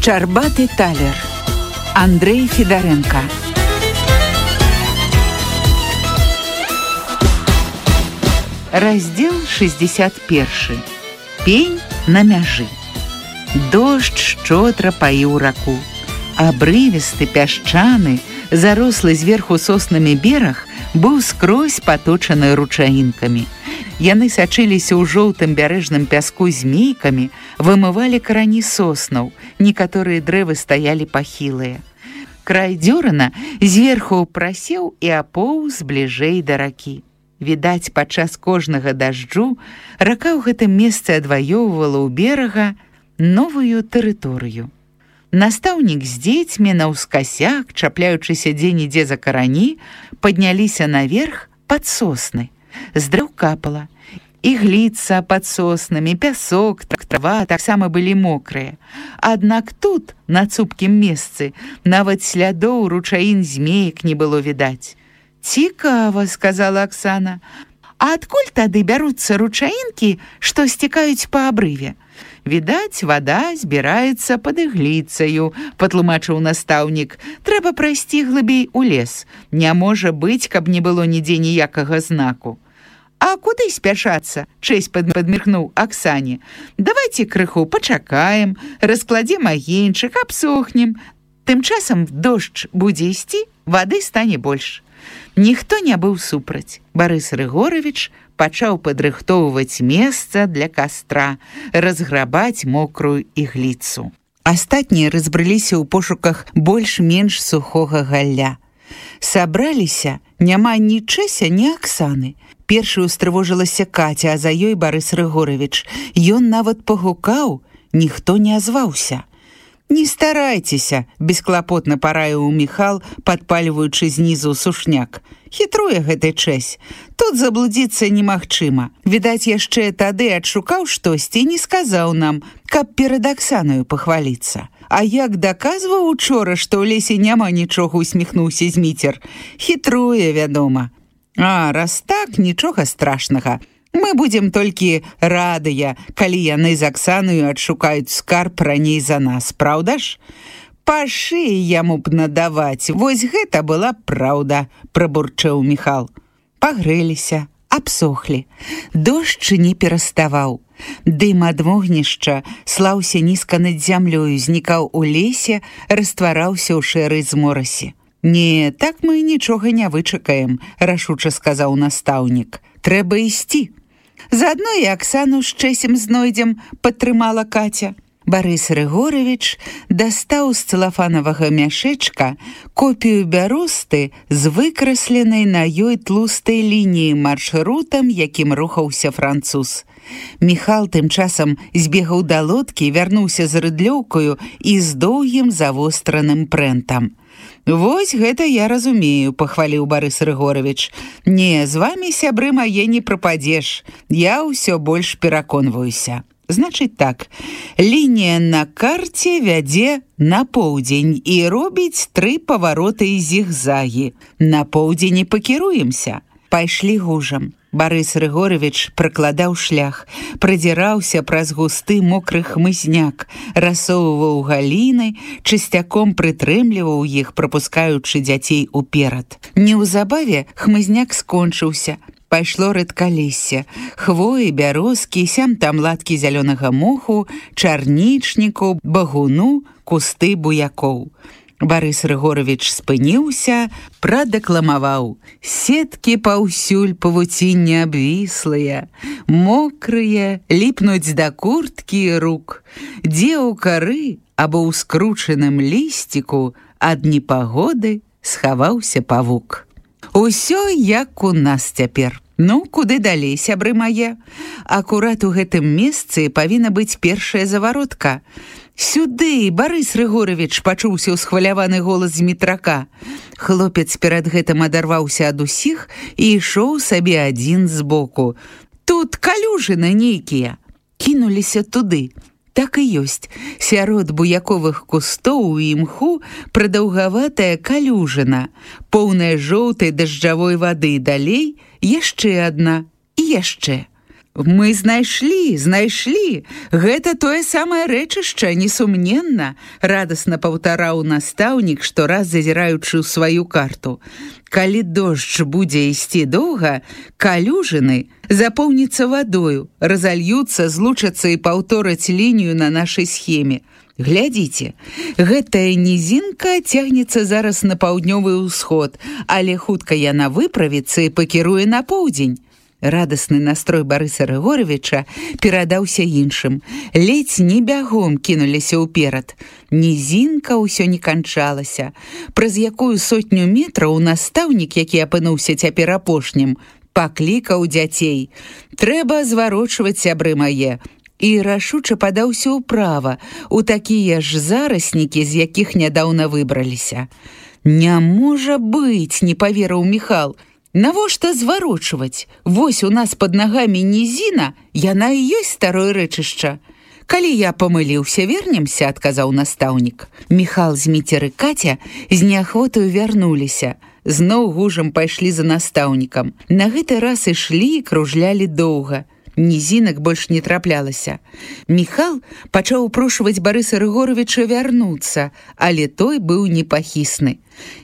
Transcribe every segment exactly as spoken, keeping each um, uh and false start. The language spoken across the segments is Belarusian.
Шчарбаты талер. Андрей Федоренко. Раздел шестьдесят першы. Пень на мяжы. Дождж шчодра паіў раку. Абрывісты, пясчаны, зарослы зверху соснамі бераг быў скрозь паточаны ручаінкамі. Яны сачыліся ў жоўтым бярэжным пяску змейкамі, вымывалі карані соснаў, некаторыя дрэвы стаялі пахілыя. Край дзёрана зверху прасеў і апоўз бліжэй да ракі. Відаць, падчас кожнага дажджу рака ў гэтым месцы адваёўвала ў берага новую тэрыторыю. Настаўнік з дзецьмі наўскасяк, чапляючыся дзе-нідзе за карані, падняліся наверх пад сосны. З дрэў капала. Ігліца пад соснамі, пясок, трава таксама былі мокрыя. Аднак тут, на цупкім месцы, нават слядоў ручаін змеек не было відаць. «Цікава», — сказала Аксана. «А адкуль тады бяруцца ручаінкі, што сцікаюць па абрыве?» «Відаць, вада збіраецца пад ігліцаю», — патлумачыў настаўнік. «Трэба прайсці глыбей у лес. Не можа быць, каб не было нідзе ніякага знаку». «А куды спяшацца?» — чэсь падміркнуў Аксане. «Давайце крыху пачакаем, раскладзем агеньчык, абсохнем. Тым часам дождж будзе ісці, вады стане больш». Ніхто не быў супраць. Барыс Рыгоровіч пачаў падрыхтоўваць месца для кастра, разграбаць мокрую ігліцу. Астатнія разбрыліся ў пошуках больш-менш сухога галля. Сабраліся няма ні Чэся, ні Аксаны. Першай устрывожылася Каця, а за ёй Барыс Рыгоровіч. Ён нават пагукаў, ніхто не азваўся. «Не старайцеся», — бесклапотна параіў Міхал, падпальваючы знізу сушняк. «Хітруе гэты Чэсь. Тут заблудзіцца немагчыма. Відаць, яшчэ тады адшукаў штосьці і не сказаў нам, каб перад Аксанаю пахваліцца. А як даказваў учора, што ў лесе няма нічога», — усміхнуўся Зміцер. «Хітруе, вядома». «А, раз так, нічога страшнага. Мы будзем толькі радыя, калі яны з Аксанаю адшукаюць скарб раней за нас, праўда ж? Па шыі яму б надаваць, вось гэта была праўда», — прабурчэў Міхал. Пагрэліся, абсохлі. Дождж не пераставаў. Дым ад вогнішча слаўся нізка над зямлёю, знікаў у лесе, раствараўся ў шэрай зморасе. «Не, так мы нічога не вычакаем», — рашуча сказаў настаўнік. «Трэба ісці». «Заадно і Аксану з Чэсем знойдзем», — падтрымала Каця. Барыс Рыгоровіч дастаў з цэлафанавага мяшэчка копію бяросты з выкрасленай на ёй тлустай лініяй маршрутам, якім рухаўся француз. Міхал тым часам збегаў да лодкі, вярнуўся з рыдлёўкаю і з доўгім завостраным прэнтам. «Вось гэта я разумею», — пахваліў Барыс Рыгоровіч. «Не, з вамі, сябры мае, не прападзеш. Я ўсё больш пераконваюся. Значыць так, лінія на карце вядзе на поўдзень і робіць тры павароты і зігзагі. На поўдзень і пакіруемся. Пайшлі гужам». Барыс Рыгоровіч пракладаў шлях, прадзіраўся праз густы мокры хмызняк, рассоўваў галіны, чысцяком прытрымліваў іх, прапускаючы дзяцей уперад. Неўзабаве хмызняк скончыўся. Пайшло рэдкалессе, хвоі, бярозкі, сям-там латкі зялёнага моху, чарнічніку, багуну, кусты буякоў. Барыс Рыгоровіч спыніўся, прадакламаваў. «Сеткі паўсюль павуціння абвіслыя, мокрыя, ліпнуць да курткі і рук. Дзе ў кары або ў скручаным лісціку ад непагоды схаваўся павук». Усё як у нас цяпер. Ну, куды далей, сябры мае? Акурат у гэтым месцы павінна быць першая заваротка. «Сюды, Барыс Рыгоровіч!» — пачуўся ўсхваляваны голас Змітрака. Хлопец перад гэтым адарваўся ад усіх і ішоў сабе адзін збоку. «Тут калюжыны нейкія!» Кінуліся туды. Так і ёсць. Сярод буяковых кустоў і імху прадаўгаватая калюжына, поўная жоўтай дажджавой вады, далей яшчэ адна і яшчэ. Мы знайшлі, знайшлі. Гэта тое самае рэчышча, несумненна, радасна паўтараў настаўнік, штораз зазіраючы ў сваю карту. Калі дождж будзе ісці доўга, калюжыны запоўніцца вадою, разальюцца, злучацца і паўтораць лінію на нашай схеме. Глядзіце, гэтая нізінка цягнецца зараз на паўднёвы ўсход, але хутка яна выправіцца і пакіруе на поўдзень. Радасны настрой Барыса Рыгоровича перадаўся іншым. Ледзь не бягом кінуліся ўперад. Нізінка ўсё не канчалася. Праз якую сотню метраў настаўнік, які апынуўся цяпер апошнім, паклікаў дзяцей. Трэба зварочваць, сябры мае. І рашуча падаўся ўправа, у такія ж зараснікі, з якіх нядаўна выбраліся. Не можа быць, не паверыў Міхал. Навошта зварочваць? Вось у нас пад нагамі нізіна, яна і ёсць старое рэчышча. Калі я памыліўся, вернемся, адказаў настаўнік. Міхал з Міцер і Каця з неахвотаю вярнуліся. Зноў гужам пайшлі за настаўнікам. На гэты раз ішлі і кружлялі доўга. Нізінак больш не траплялася. Міхал пачаў упрошваць Барыса Рыгоровича вярнуцца, але той быў непахісны.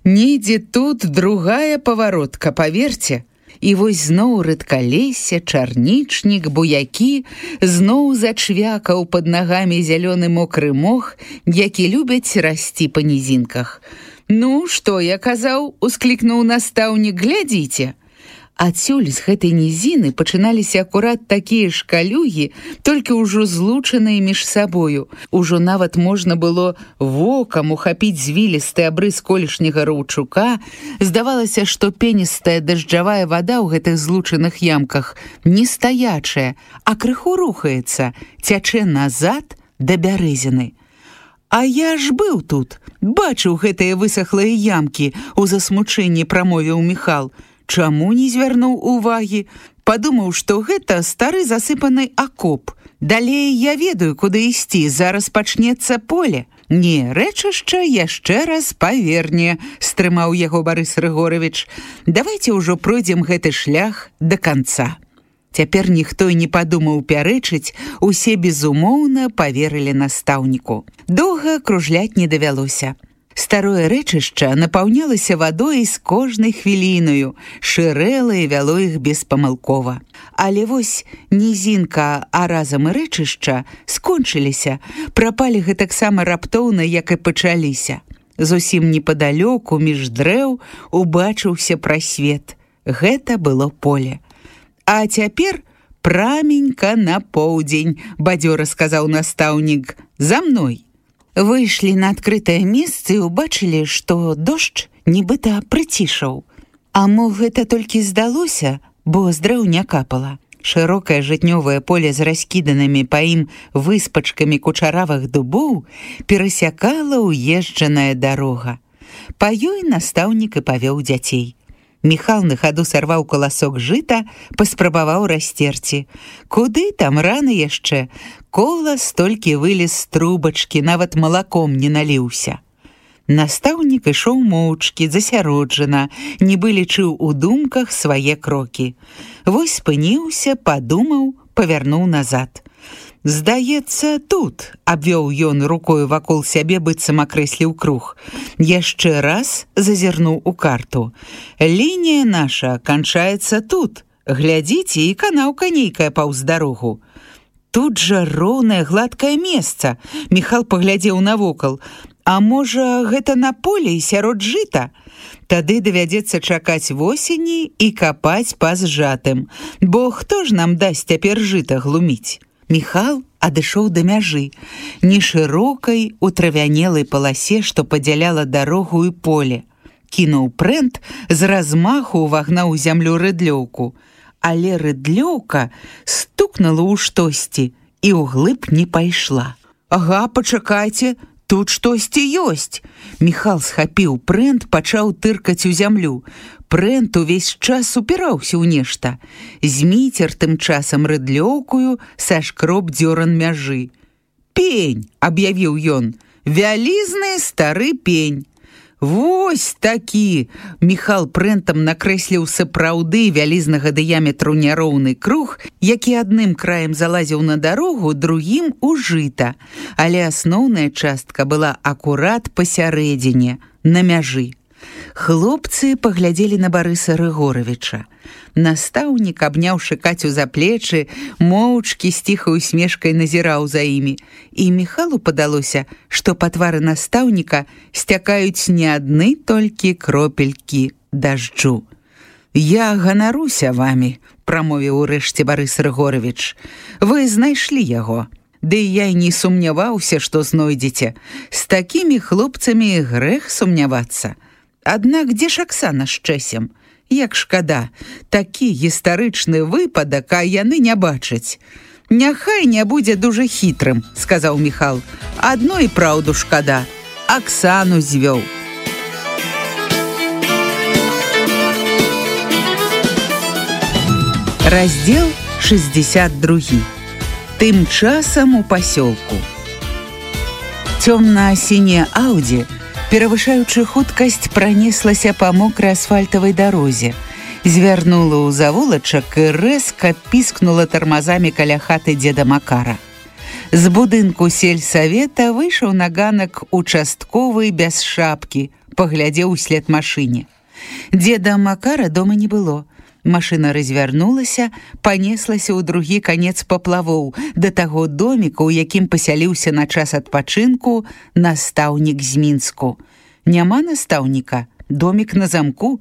Недзе тут другая паваротка, паверце. І вось зноў рэдкалессе, чарнічнік, буякі, зноў зачвякаў пад нагамі зялёны мокры мох, які любяць расці па нізінках. Ну, што я казаў, усклікнуў настаўнік, глядзіце. Адсюль з гэтай нізіны пачыналіся акурат такія ж калюгі, толькі ўжо злучаныя між сабою. Ужо нават можна было вокам ухапіць звілісты абрыс колішняга раўчука. Здавалася, што пеністая дажджавая вада ў гэтых злучаных ямках не стаячая, а крыху рухаецца, цячэ назад да бярэзіны. А я ж быў тут, бачыў гэтыя высахлыя ямкі, у засмучэнні прамовіў Міхал. Чаму не звярнуў увагі? Падумаў, што гэта стары засыпаны акоп. Далей я ведаю, куды ісці, зараз пачнецца поле. Не, рэчышча яшчэ раз паверне, стрымаў яго Барыс Рыгорович. Давайце ўжо пройдзем гэты шлях да канца. Цяпер ніхто і не падумаў пярэчыць, усе безумоўна паверылі настаўніку. Доўга кружляць не давялося. Старое рэчышча напаўнялася вадой з кожнай хвілінаю, шырэла і вяло іх беспамылкова. Але вось нізінка, а разам і рэчышча скончыліся, прапалі гэтаксама раптоўна, як і пачаліся. Зусім непадалёку, між дрэў, убачыўся прасвет. Гэта было поле. А цяпер праменька на поўдзень, бадзёра сказаў настаўнік. За мной. Выйшлі на адкрытае месца і ўбачылі, што дождж нібыта прыцішаў. А мо гэта толькі здалося, бо з дрэў не капала. Шырокае жытнёвае поле з раскіданымі па ім выспачкамі кучаравых дубоў перасякала ўезджаная дарога. Па ёй настаўнік і павёў дзяцей. Міхал на хаду сарваў каласок жыта, паспрабаваў расцерці. Куды там рана яшчэ? Колас толькі вылез з трубачкі, нават малаком не наліўся. Настаўнік ішоў моўчкі, засяроджана, нібы лічыў у думках свае крокі. Вось спыніўся, падумаў, павярнуў назад. «Здаецца, тут», — абвёў ён рукою вакол сябе, быццам акрэсліў круг. Яшчэ раз зазірнуў у карту. «Лінія наша канчаецца тут. Глядзіце, і канаўка нейкая паўз дарогу». Тут жа роўнае гладкае месца. Міхал паглядзеў навокал. А можа, гэта на полі сярод жыта? Тады давядзецца чакаць восені і капаць па зжатым. Бо хто ж нам дасць цяпер жыта глуміць? Міхал адышоў да мяжы, нешырокай, у травянелай паласе, што падзяляла дарогу і поле. Кінуў прэнт, з размаху ўвагнаў у зямлю рыдлёўку. Але рыдлёўка стукнула ў штосьці і ўглыб не пайшла. «Ага, пачакайце, тут штосьці ёсць!» Міхал схапіў прэнт, пачаў тыркаць у зямлю. Прэнт увесь час упіраўся ў нешта. Зміцер тым часам рыдлёўкую сашкроб дзёран мяжы. «Пень!» — аб'явіў ён. «Вялізны стары пень!» Вось такі! Міхал прэнтам накрэсліў сапраўды вялізнага дыяметру няроўны круг, які адным краем залазіў на дарогу, другім у жыта. Але асноўная частка была акурат пасярэдзіне, на мяжы. Хлопцы паглядзелі на Барыса Рыгоровіча. Настаўнік, абняўшы Кацю за плечы, моўчкі з ціхай усмешкай назіраў за імі. І Міхалу падалося, што па твары настаўніка сцякаюць не адны толькі кропелькі дажджу. «Я ганаруся вамі», – прамовіў урэшце Барыс Рыгоровіч. «Вы знайшлі яго. Ды я і не сумняваўся, што знойдзеце. З такімі хлопцамі грэх сумнявацца. Аднак дзе ж Аксана з Чэсем? Як шкада, такі гістарычны выпадак, а яны не бачаць». «Няхай не будзе дужа хітрым», – сказаў Міхал. «Адно і праўду шкада. Аксану звёў». Раздзел шэсцьдзесят другі. Тым часам у пасёлку. Цёмна-сіняе Ауді, перавышаючы хуткасць, пранеслася па мокрай асфальтавай дарозе, звярнула ў завулачак і рэзка піскнула тармазамі каля хаты дзеда Макара. З будынку сельсавета выйшаў на ганак участковы без шапкі, паглядзеў услед машыне. Дзеда Макара дома не было. Машына развярнулася, панеслася ў другі канец паплавоў, да таго доміка, у якім пасяліўся на час адпачынку настаўнік з Мінску. Няма настаўніка, домік на замку.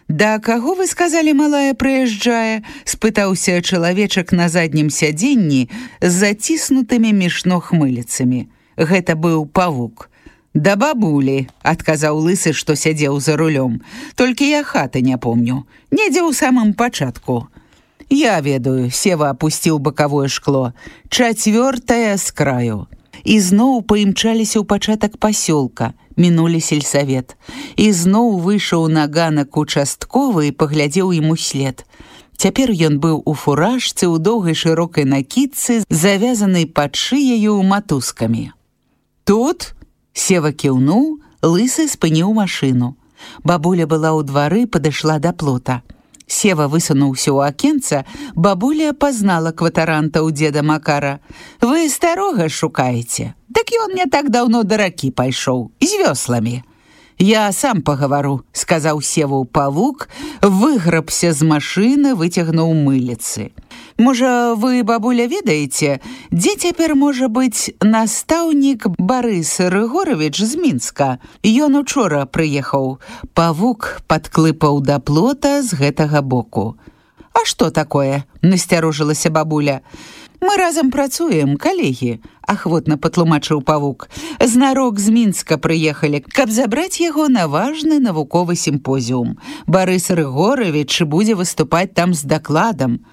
«Да каго, вы сказалі, малая прыязджае?» – спытаўся чалавечак на заднім сядзенні з заціснутымі між ног мыліцамі. Гэта быў павук. «Да бабулі», – адказаў лысы, што сядзеў за рулём. «Толькі я хаты не помню. Недзе ў самым пачатку». «Я ведаю», – Сева апусціў бакавое шкло. «Чацвёртая з краю». І зноў паімчаліся ў пачатак пасёлка, мінулі сельсавет. І зноў выйшаў на ганак участковы і паглядзеў ім услед. Цяпер ён быў у фуражцы, у доўгай шырокай накідцы, завязанай пад шыяю матузкамі. «Тут?» Сева кіўнуў, лысы спыніў машыну. Бабуля была ў двары, падышла да плота. Сева высунуўся ў акенца, бабуля пазнала кватаранта ў дзеда Макара. «Вы старога шукаеце? Дык ён не так даўно да ракі пайшоў, з вёсламі». «Я сам пагавару», – сказаў Севу павук, выграбся з машыны, выцягнуў мыліцы. «Можа, вы, бабуля, ведаеце, дзе цяпер можа быць настаўнік Барыс Рыгоровіч з Мінска? Ён учора прыехаў». Павук падклыпаў да плота з гэтага боку. «А што такое?» – насцярожылася бабуля. «Мы разам працуем, калегі», – ахвотна патлумачыў павук. «Знарок з Мінска прыехалі, каб забраць яго на важны навуковы сімпозіум. Барыс Рыгоровіч будзе выступаць там з дакладам».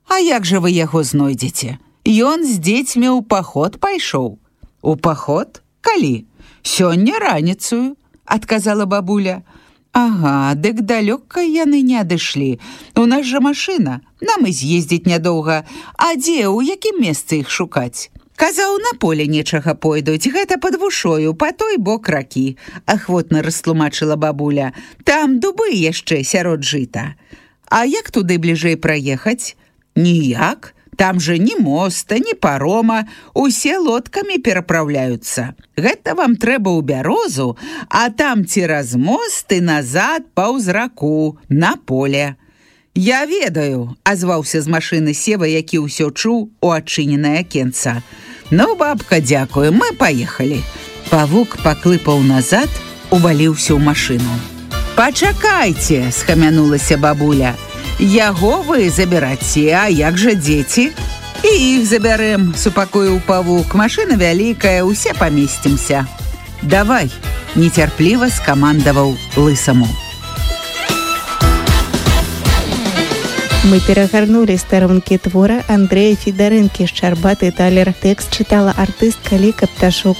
«А як жа вы яго знойдзеце? Ён з дзецьмі ў паход пайшоў». «У паход? Калі?» «Сёння раніцаю», – адказала бабуля. «Ага, дык далёка яны не адышлі. У нас жа машына, нам і з'ездзіць нядоўга. А дзе, у якім месцы іх шукаць?» «Казаў, на поле нечага пойдуць, гэта пад вушою, па той бок ракі», – ахвотна растлумачыла бабуля. «Там дубы яшчэ сярод жыта». «А як туды бліжэй праехаць?» «Ніяк. Там жа ні моста, ні парома, усе лодкамі перапраўляюцца. Гэта вам трэба ў Бярозу, а там цераз мост і назад паўз раку, на поле». «Я ведаю», – азваўся з машыны Сева, які ўсё чуў у адчыненае акенца. «Ну, бабка, дзякую, мы паехалі». Павук паклыпаў назад, уваліўся ў машыну. «Пачакайце», – схамянулася бабуля. «Яго вы забіраце, а як жа дзеці?» «І іх забярэм», – супакоіў павук. «Машына вялікая, усе памесцімся». «Давай», – нецярпліва скамандаваў лысаму. Мы перагарнулі старонкі твора Андрэя Федарэнкі «Шчарбаты талер». Тэкст чытала артыстка Ліка Пташук.